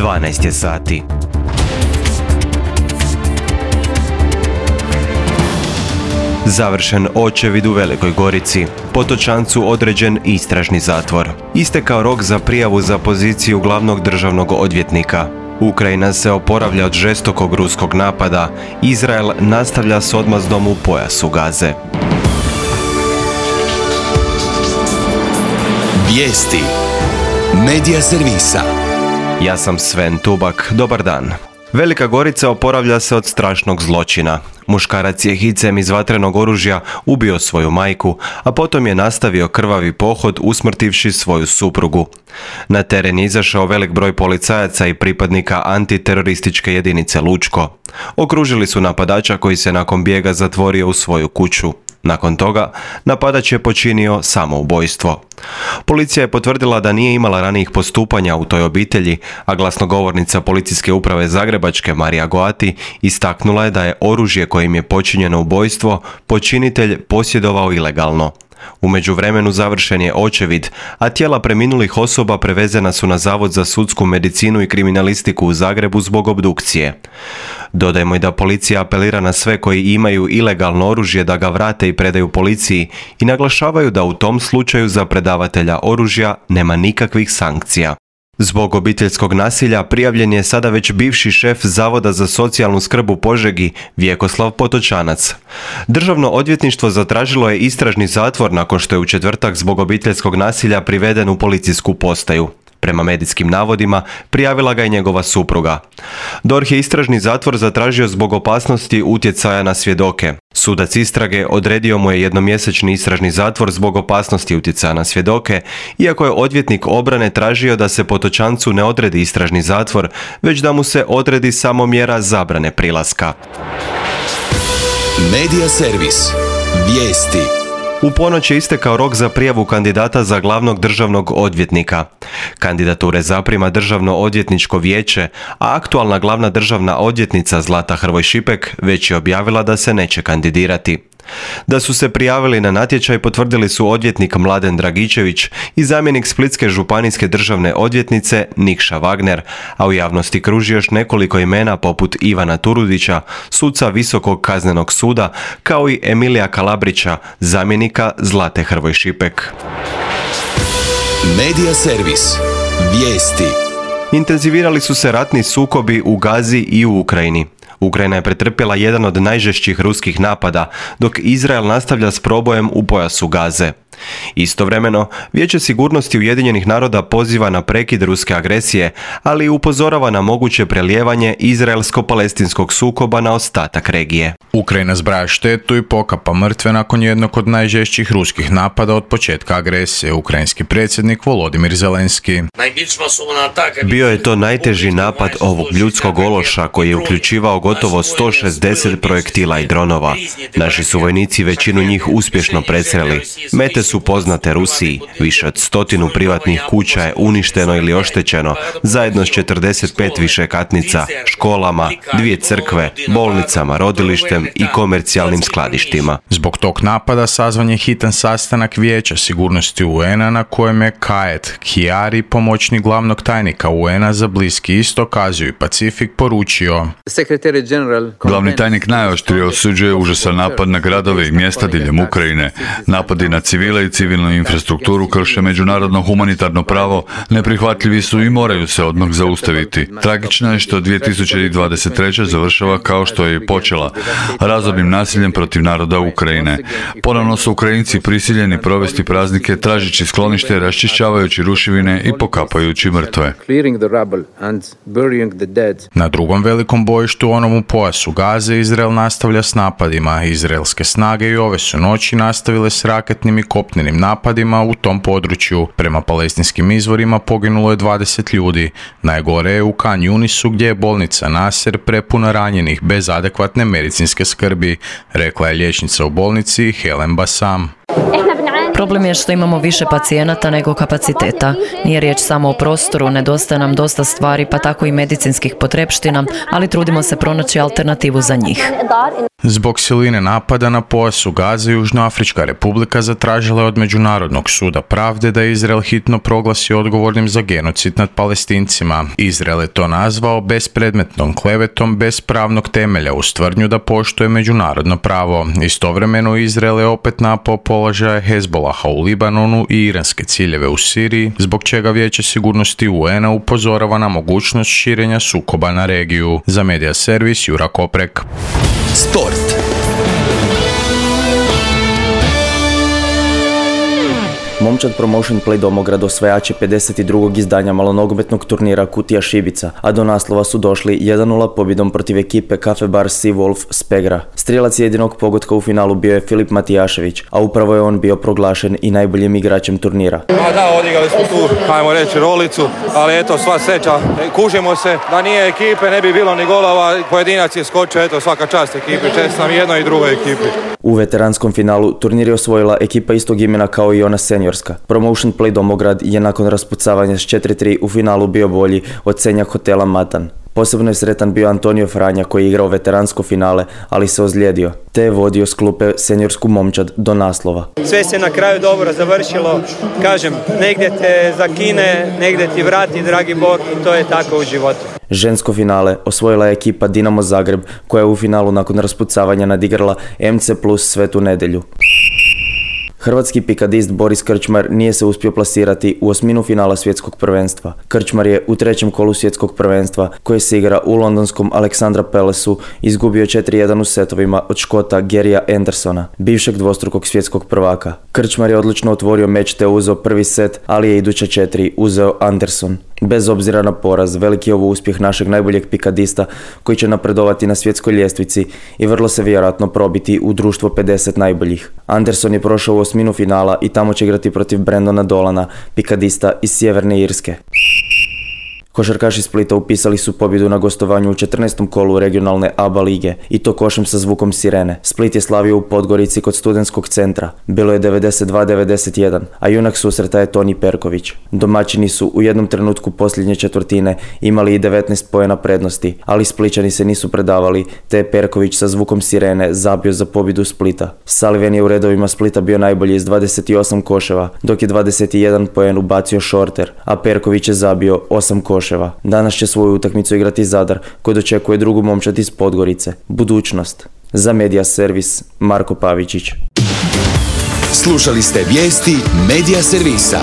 12 je sati. Završen očevid u Velikoj Gorici. Potočancu određen istražni zatvor. Istekao rok za prijavu za poziciju glavnog državnog odvjetnika. Ukrajina se oporavlja od žestokog ruskog napada. Izrael nastavlja s odmazdom u pojasu Gaze. Vijesti Medija servisa. Ja sam Sven Tubak, dobar dan. Velika Gorica oporavlja se od strašnog zločina. Muškarac je hicem iz vatrenog oružja ubio svoju majku, a potom je nastavio krvavi pohod usmrtivši svoju suprugu. Na teren je izašao velik broj policajaca i pripadnika antiterorističke jedinice Lučko. Okružili su napadača koji se nakon bijega zatvorio u svoju kuću. Nakon toga, napadač je počinio samoubojstvo. Policija je potvrdila da nije imala ranijih postupanja u toj obitelji, a glasnogovornica Policijske uprave Zagrebačke Marija Goati istaknula je da je oružje kojim je počinjeno ubojstvo počinitelj posjedovao ilegalno. U međuvremenu završen je očevid, a tijela preminulih osoba prevezena su na Zavod za sudsku medicinu i kriminalistiku u Zagrebu zbog obdukcije. Dodajmo i da policija apelira na sve koji imaju ilegalno oružje da ga vrate i predaju policiji i naglašavaju da u tom slučaju za predavatelja oružja nema nikakvih sankcija. Zbog obiteljskog nasilja prijavljen je sada već bivši šef Zavoda za socijalnu skrb u Požegi, Vjekoslav Potočanac. Državno odvjetništvo zatražilo je istražni zatvor nakon što je u četvrtak zbog obiteljskog nasilja priveden u policijsku postaju. Prema medijskim navodima, prijavila ga i njegova supruga. DORH je istražni zatvor zatražio zbog opasnosti utjecaja na svjedoke. Sudac istrage odredio mu je jednomjesečni istražni zatvor zbog opasnosti utjecaja na svjedoke, iako je odvjetnik obrane tražio da se Potočancu ne odredi istražni zatvor, već da mu se odredi samo mjera zabrane prilaska. Medija servis. Vijesti. U ponoć je istekao rok za prijavu kandidata za glavnog državnog odvjetnika. Kandidature zaprima Državno odvjetničko vijeće, a aktualna glavna državna odvjetnica Zlata Hrvoj Šipek već je objavila da se neće kandidirati. Da su se prijavili na natječaj potvrdili su odvjetnik Mladen Dragičević i zamjenik Splitske županijske državne odvjetnice Nikša Wagner, a u javnosti kruži još nekoliko imena poput Ivana Turudića, suca Visokog kaznenog suda, kao i Emilija Kalabrića, zamjenika Zlate Hrvoj Šipek. Medija servis. Vijesti. Intenzivirali su se ratni sukobi u Gazi i u Ukrajini. Ukrajina je pretrpjela jedan od najžešćih ruskih napada, dok Izrael nastavlja s probojem u pojasu Gaze. Istovremeno, Vijeće sigurnosti Ujedinjenih naroda poziva na prekid ruske agresije, ali upozorava na moguće prelijevanje izraelsko-palestinskog sukoba na ostatak regije. Ukrajina zbraja štetu i pokapa mrtve nakon jednog od najžešćih ruskih napada od početka agresije, ukrajinski predsjednik Volodimir Zelenski. Bio je to najteži napad ovog ljudskog ološa koji je uključivao gotovo 160 projektila i dronova. Naši su vojnici većinu njih uspješno presreli. Mete su poznate Rusiji. Više od 100 privatnih kuća je uništeno ili oštećeno, zajedno s 45 višekatnica, školama, 2 crkve, bolnicama, rodilištem i komercijalnim skladištima. Zbog tog napada sazvan je hitan sastanak Vijeća sigurnosti UN-a na kojem je Kaet Kjari, pomoćnik glavnog tajnika UN-a za Bliski istok, Aziju i Pacifik, poručio: Glavni tajnik najoštrije osuđuje užasan napad na gradove i mjesta diljem Ukrajine. Napadi na civile i civilnu infrastrukturu krše međunarodno humanitarno pravo, neprihvatljivi su i moraju se odmah zaustaviti. Tragično je što 2023. završava kao što je i počela, razornim nasiljem protiv naroda Ukrajine. Ponovno su Ukrajinci prisiljeni provesti praznike tražeći sklonište, raščišćavajući ruševine i pokapajući mrtve. Na drugom velikom bojištu, onom u pojasu Gaze, Izrael nastavlja s napadima. Izraelske snage i ove su noći nastavile s raketnim i kopnenim napadima u tom području. Prema palestinskim izvorima poginulo je 20 ljudi. Najgore je u Khan Yunisu, gdje je bolnica Nasser prepuna ranjenih bez adekvatne medicinske skrbi, rekla je liječnica u bolnici Helen Bassam. Problem je što imamo više pacijenata nego kapaciteta. Nije riječ samo o prostoru, nedostaje nam dosta stvari, pa tako i medicinskih potrepština, ali trudimo se pronaći alternativu za njih. Zbog siline napada na pojasu Gaze, Južnoafrička republika zatražila je od Međunarodnog suda pravde da Izrael hitno proglasi odgovornim za genocid nad Palestincima. Izrael je to nazvao bespredmetnom klevetom bez pravnog temelja uz tvrdnju da poštuje međunarodno pravo. Istovremeno Izrael je opet napao položaje Hezbolaha u Libanonu i iranske ciljeve u Siriji, zbog čega Vijeće sigurnosti UN-a upozorava na mogućnost širenja sukoba na regiju. Za Medija servis Jura Koprek. Sport. Momčad Promotion Play Domograd osvajač je 52. izdanja malonogometnog turnira Kutija Šibica, a do naslova su došli 1-0 pobjedom protiv ekipe Cafe Bar Sea Wolf Spegra. Strijelac jedinog pogotka u finalu bio je Filip Matijašević, a upravo je on bio proglašen i najboljim igračem turnira. Da, odigrali smo tu, ajmo reći, rolicu, ali eto, sva sreća, kužimo se, da nije ekipe ne bi bilo ni golova, pojedinac je skočio, eto, svaka čast ekipi, čestitam jednoj i drugoj ekipi. U veteranskom finalu turnir je osvojila ekipa istog imena kao i ona seniorska. Promotion Play Domograd je nakon raspucavanja s 4-3 u finalu bio bolji od Senja Hotela Matan. Posebno je sretan bio Antonio Franja koji je igrao veteransko finale, ali se ozlijedio, te je vodio s klupe seniorsku Momčad do naslova. Sve se na kraju dobro završilo, kažem, negdje te zakine, negdje ti vrati, dragi Bog, i to je tako u životu. Žensko finale osvojila je ekipa Dinamo Zagreb koja je u finalu nakon raspucavanja nadigrala MC Plus Svetu Nedjelju. Hrvatski pikadist Boris Krčmar nije se uspio plasirati u osminu finala svjetskog prvenstva. Krčmar je u trećem kolu svjetskog prvenstva, koje se igra u londonskom Aleksandra Palace-u, izgubio 4-1 u setovima od Škota Garyja Andersona, bivšeg dvostrukog svjetskog prvaka. Krčmar je odlučno otvorio meč te uzeo prvi set, ali je iduća 4 uzeo Anderson. Bez obzira na poraz, veliki je ovo uspjeh našeg najboljeg pikadista koji će napredovati na svjetskoj ljestvici i vrlo se vjerojatno probiti u društvo 50 najboljih. Anderson je prošao u osminu finala i tamo će igrati protiv Brendona Dolana, pikadista iz Sjeverne Irske. Košarkaši Splita upisali su pobjedu na gostovanju u 14. kolu regionalne ABA lige i to košem sa zvukom sirene. Split je slavio u Podgorici kod Studentskog centra. Bilo je 92-91, a junak susreta je Toni Perković. Domaćini su u jednom trenutku posljednje četvrtine imali i 19 poena prednosti, ali Splićani se nisu predavali, te je Perković sa zvukom sirene zabio za pobjedu Splita. Sullivan je u redovima Splita bio najbolji s 28 koševa, dok je 21 poen ubacio Shorter, a Perković je zabio 8 koševa. Danas će svoju utakmicu igrati Zadar, koji dočekuje drugu Momčad iz Podgorice. Budućnost. Za Medija servis Marko Pavičić. Slušali ste vijesti Medija servisa.